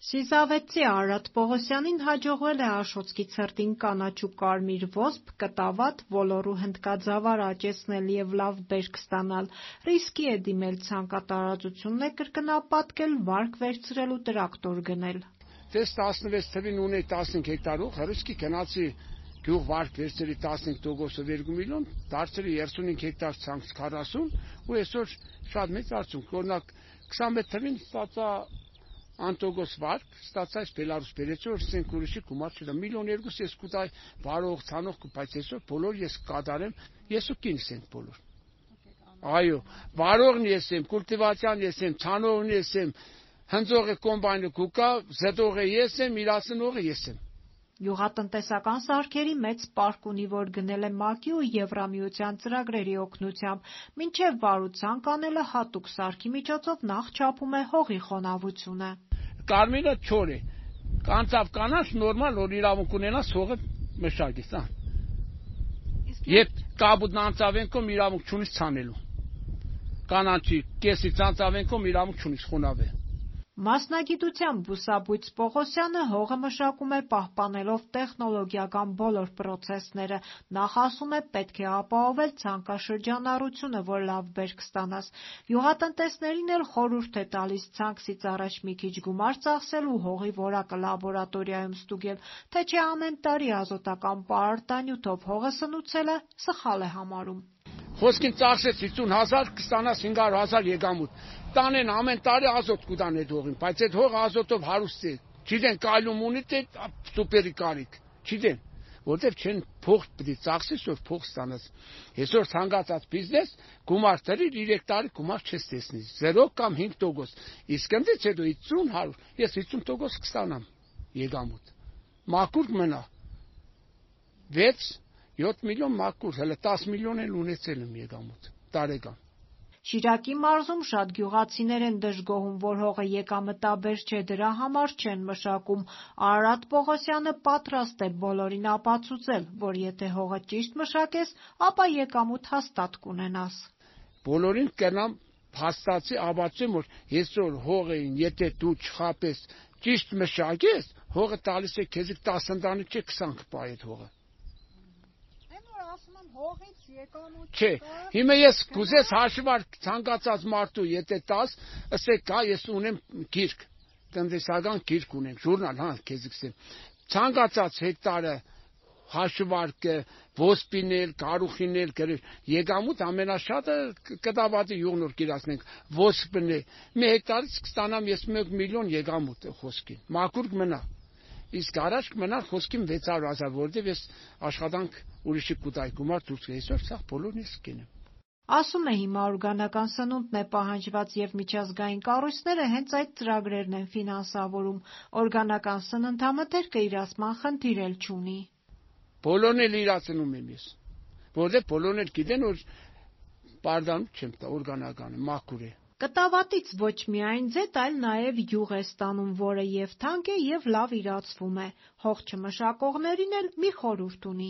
Սիզավետցի Արարատ Պողոսյանին հաջողվել է Աշոտսկի ցրտին կանաչ ու կարմիր ոսպ, կտավատ, ոլորու հնդկաձավար աճեցնել և լավ բերք ստանալ, ռիսկի է դիմել ցանկատարածությունն է կրկնապատկել, վարկ վերցրել ու տրակտոր գնել։ Դες 16 թվին ունի 15 հեկտարով, հրուսկի գնացի գյուղ վարկ վերցրի 15%-ով 2 միլիոն, դարձրի 35 հեկտար ցանց 40 ու այսօր շատ մեծ արդյունք, օրինակ 21 թվին ստացա անտոգոս վարկ, ստացա այս Բելարուս բերեցի, որ սենք ուրիշի գումար չդա, միլիոն 2 ես կուտայ վարող, ցանող կպայց այսօր բոլոր ես կադարեմ, ես ու կինս ենք բոլոր։ Այո, վարողն ես եմ, կուլտիվացիան ես եմ, ցանողն ես եմ, հնձողը կոմբայնը կուկա, զետողը ես եմ, իրացնողը ես եմ։ Գյուղատնտեսական սարքերի մեծ պարկ ունի, որ գնել է ՄԱԿ-ի ու Եվրամիության ծրագրերի օգնությամբ, մինչև վարուցանք անելը հատուկ սարքի միջոցով նախ չափում է հողի խոնավությունը։ Կարմիրը չոր է, կանցավ կանաչ նորմալ, որ իրավունք ունենաս հողը մշակես, Եվ կաբուտն անցավենքում իրավունք չունիս ցանելու։ Կանաչի կեսի ցանցավենքում իրավունք չունիս խոնավ է։ Մասնագիտությամբ Բուսաբույծ Պողոսյանը հողը մշակում է պահպանելով տեխնոլոգիական բոլոր պրոցեսները, նախ ասում է պետք է ապահովել ցանքաշրջանառությունը, որ լավ բերք ստանաս, գյուղատնտեսներին էլ խորհուրդ է տալիս ցանքսից առաջ մի քիչ գումար ծախսել ու հողի որակը լաբորատորիայում ստուգել, թե չէ ամեն տարի ազոտական պարարտանյութով հողը սնուցելը սխալ է համարում։ Խոսքին ծախսեց 50,000, կստանաս 500,000 եկամուտ։ Տանեն ամեն տարի ազոտ կուտան այդ հողին, բայց այդ հողը ազոտով հարուստ է։ Չգիտեն կայլում ունի թե սուպերի կարիք, չգիտեն, որտեվ չեն փող պետք է ծախսես, որ փող ստանաս։ Այսօր ցանկացած բիզնես գումար տրի 3 տարի գումար չես տեսնի, 0 կամ 5%։ Իսկ ընդից հետո 50-100, ես 50% կստանամ եկամուտ։ Մաքուր մնա 6-7 միլիոն մաքուր, հələ 10 միլիոն էլ ունեցել եմ եկամուտ տարեկան։ Շիրակի մարզում շատ գյուղացիներ են դժգոհում, որ հողը եկամտաբեր չէ, դրա համար չեն մշակում։ Արարատ Պողոսյանը պատրաստ է բոլորին ապացուցել, որ եթե հողը ճիշտ մշակես, ապա եկամուտ հաստատ կունենաս։ Բոլորին կնամ հաստատի ապացուցեմ, որ այսօր հողին, եթե դու չխապես ճիշտ մշակես, հողը տալիս է քեզ 10 ընտանիք չէ 20 կպա այդ հողը։ Հողից եկամուտ Չէ, հիմա ես կուզես հաշվար ցանկացած մարդու, եթե տաս, ասեք, հա, ես ունեմ գիրք, տնտեսական գիրք ունեմ, ժուրնալ, քեզ կսեմ։ Ցանկացած հեկտարը հաշվարկը, ոսպինել, կարուխինել, եկամուտ ամենաշատը կտավատի յուղնոր կիրացնենք, ոսպն է։ Մի հեկտարից կստանամ ես 1 միլիոն եկամուտ խոսքին։ Մաքուր մնա։ Իսկ առաջ կմնա խոսքին 600,000, որտեղ ես աշխատանք ուրիշի կուտայ գումար դուրս այսօր սա բոլորն ես կենեմ։ Ասում է հիմա օրգանական սնունդն է պահանջված և միջազգային կառույցները հենց այդ ծրագրերն են ֆինանսավորում, օրգանական սննդամթերքը իրացման խնդիր էլ չունի։ Բոլորն էլ իրացնում եմ ես, որտեղ բոլորն էլ գիտեն, որ պարդանում չեմ տա օրգանականը, մաքուր է։ Կտավատից ոչ միայն ձետ, այլ նաև յուղ է ստանում, որը և թանկ է, և լավ իրացվում է։ Հող չմշակողներին էլ մի խորհուրդ ունի։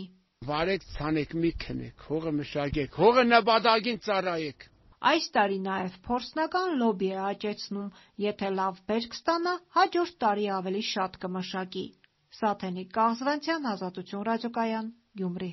Վարեք, ցանեք, մի քնեք, հողը մշակեք, հողը նպատակին ծառայեք։ Այս տարի նաև փորձնական լոբի է աճեցնում, եթե լավ բերք ստանա, հաջորդ տարի ավելի շատ կմշակի։ Սաթենիկ Կաղզվանցյան, Ազատություն ռադիոկայան, Գյումրի։